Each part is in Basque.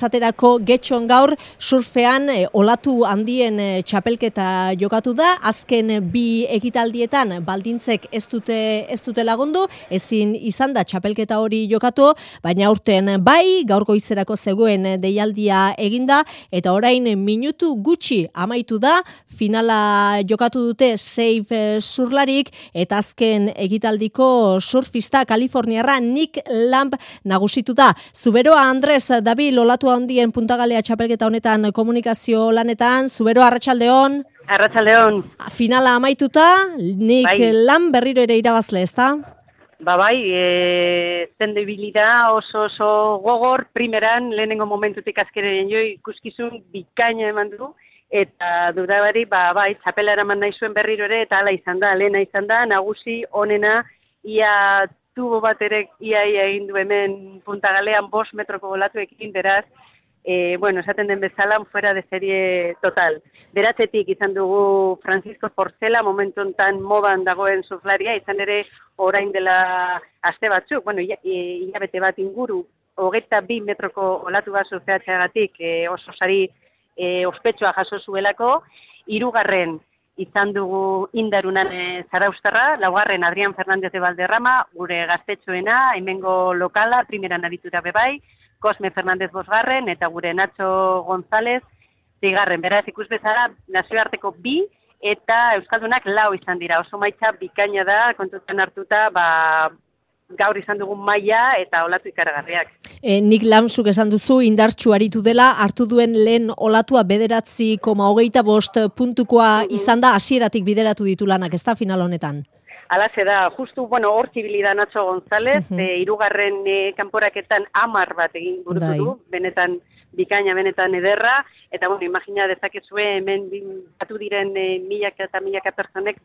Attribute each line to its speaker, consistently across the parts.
Speaker 1: Esaterako getxon gaur surfean olatu handien txapelketa jokatu da. Azken bi ekitaldietan baldintzek ez dute lagundu, ezin izan da txapelketa hori jokatu, baina aurten bai, gaur goizerako zegoen deialdia eginda, eta orain minutu gutxi amaitu da, finala jokatu dute Save surlarik, eta azken ekitaldiko surfista Kaliforniarra Nick Lamb nagusitu da. Zuberoa Andres Dabil olatu handien puntagalea txapelketa honetan komunikazio lanetan. Zubero, arratsaldeon.
Speaker 2: Arratsaldeon.
Speaker 1: Finala amaituta, Nick Lamb berriro ere irabazle, ezta?
Speaker 2: Bai, zende ibilida oso gogor, primeran, lehenengo momentutik azkeneren jo ikuskizun bikaina eman du, eta dudabari, bai, txapela eraman nahi zuen berriro ere, eta hala izan da, lehena izan da, nagusi, onena, ia tubo bat ere ia egin du hemen puntagalean 5 metroko olatuekin, beraz, esaten den bezala, fuera de serie total. Beratzetik izan dugu Francisco Porcela, momentu enten modan dagoen surflaria, izan ere orain dela aste batzuk, hilabete bat inguru, 22 metroko olatu bat surfeatzeagatik oso sari ospetsua jaso zuelako, 3. izan dugu Indarunan Zaraustarra, 4. Adrián Fernández de Valderrama, gure gaztetxoena, hemengo lokala, primeran aritura bebai, Cosme Fernández 5. eta gure Nacho González 6. Beraz, ikus bezala, nazioarteko 2 eta Euskaldunak 4 izan dira. Oso maitza bikaina da, kontutan hartuta, gaur izan dugun maila eta olatu ikaragarriak.
Speaker 1: Nick Lamzuk esan duzu indartsu aritu dela, hartu duen lehen olatua 9,25 puntukoa izan da, hasieratik bideratu ditu lanak, ez da final honetan?
Speaker 2: Alaze da, justu, hor zibilida Nacho González, 3. kanporaketan 10 bat egin burutu du, benetan bikaina, benetan ederra, eta imagina dezakezue hemen batu diren milaka eta milaka personek,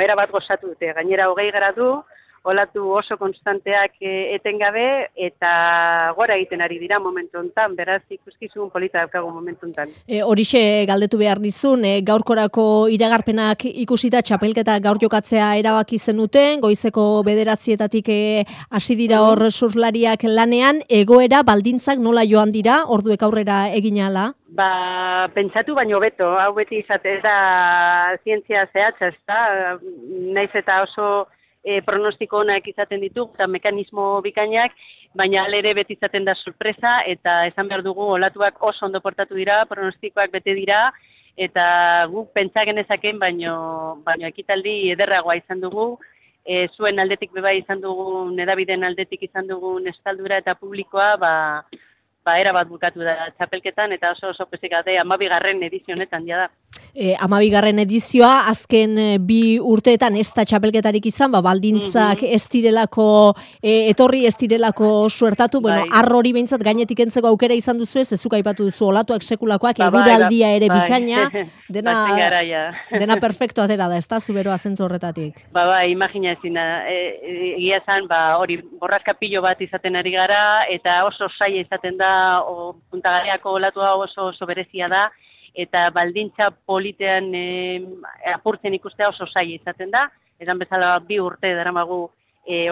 Speaker 2: era bat gozatu dute, gainera 20 gradu, olatu oso konstanteak etengabe, eta gora egiten ari dira momentu hontan, beraz ikuskizun polita daukagu momentu hontan.
Speaker 1: Horixe galdetu behar dizun, gaurkorako iragarpenak ikusita txapelketa gaur jokatzea erabaki zenuten, goizeko 9:00-etatik hasi dira hor surflariak lanean, egoera baldintzak nola joan dira, orduek aurrera egin ahala?
Speaker 2: Pentsatu baino beto, hau beti izate da zientzia zehatza, ez da, naiz eta oso pronostiko onak izaten ditugu eta mekanismo bikainak, baina alere beti izaten da sorpresa eta esan behar dugu olatuak oso ondo portatu dira, pronostikoak bete dira eta guk pentsa genezaken, baino ekitaldi ederragoa izan dugu, zuen aldetik bebai izan dugu, edabideen aldetik izan dugu estaldura eta publikoa, era bat bukatu da txapelketan eta oso pesik gade 12. edizio honetan da.
Speaker 1: 12. edizioa, azken 2 urteetan ez da txapelketarik izan, baldintzak ez direlako etorri, ez direlako suertatu, arro hori behintzat gainetik entzeko aukera izan duzu ez, ezuk aipatu duzu olatuak sekulakoak, eguraldia ere bikaina, dena perfecto atera da, ez da, Zuberoa zentzu horretatik.
Speaker 2: Imagina ezina, egia esan, hori borraskapillo bat izaten ari gara, eta oso saia izaten da, puntagaleako olatua oso berezia da, eta baldintza politean apurtzen ikustea oso saia izaten da, edan bezala 2 urte daramagu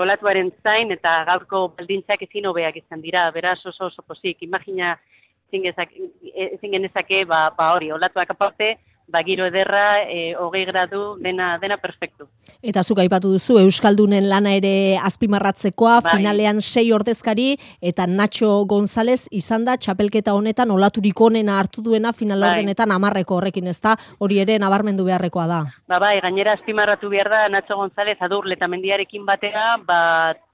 Speaker 2: olatuaren zain, eta gaurko baldintzak ezin hobeak izan dira, beraz oso pozik, imagina ezin genezake, hori, olatuak aparte, giro ederra, 20 gradu, dena perfektu.
Speaker 1: Eta zuk aipatu duzu, Euskaldunen lana ere azpimarratzekoa, finalean 6 ordezkari, eta Nacho González izan da txapelketa honetan olaturik onena hartu duena final ordenetan 10 horrekin, ez da, hori ere nabarmendu beharrekoa da.
Speaker 2: Gainera azpimarratu behar da Nacho González Adurle eta Mendiarekin batera,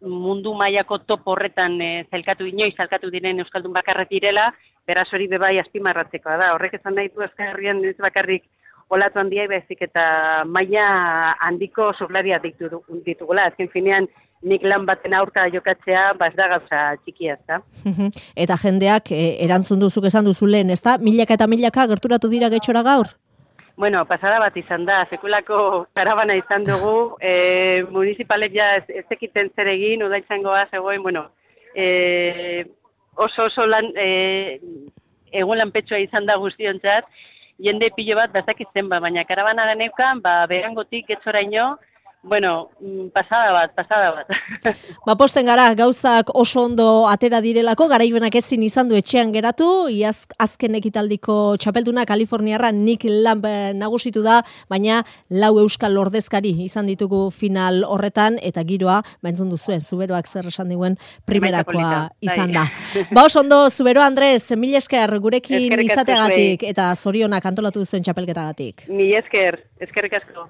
Speaker 2: mundu mailako top horretan inoiz zelkatu diren Euskaldun bakarrak direla, beraz hori bebai azpimarratzekoa da. Horrek esan nahi du Euskal ez bakarrik olatu handia baizik eta maila handiko surflaria ditugula. Azken finean Nick Lamb baten aurka jokatzea, ez da gauza txikia, ez da.
Speaker 1: Eta jendeak erantzun duzuk esan duzu lehen, ez da? Milaka eta milaka gerturatu dira getxora gaur?
Speaker 2: Pasada bat izan da, sekulako karabana izan dugu, municipalek ja ez ekiten zer egin, udaitzangoa zegoen, oso lan, egun lanpetsua izan da guztiontzat, jende pilo bat bazakitzen baina karabana geneukan, berangotik getxoraino, Bueno, pasada bat.
Speaker 1: Ba, posten gara, gauzak oso ondo atera direlako, garaibenak ezin izan du etxean geratu, iaz azken ekitaldiko txapelduna Kaliforniarra Nick Lamb nagusitu da, baina 4 euskal ordezkari izan ditugu final horretan, eta giroa, entzun duzuen, Zuberoak zer esan diguen primerakoa izan da. Ba, oso ondo, Zubero Andres, mil esker gurekin izateagatik, eta zorionak antolatu duzuen txapelketagatik.
Speaker 2: Mil esker, eskerrik asko.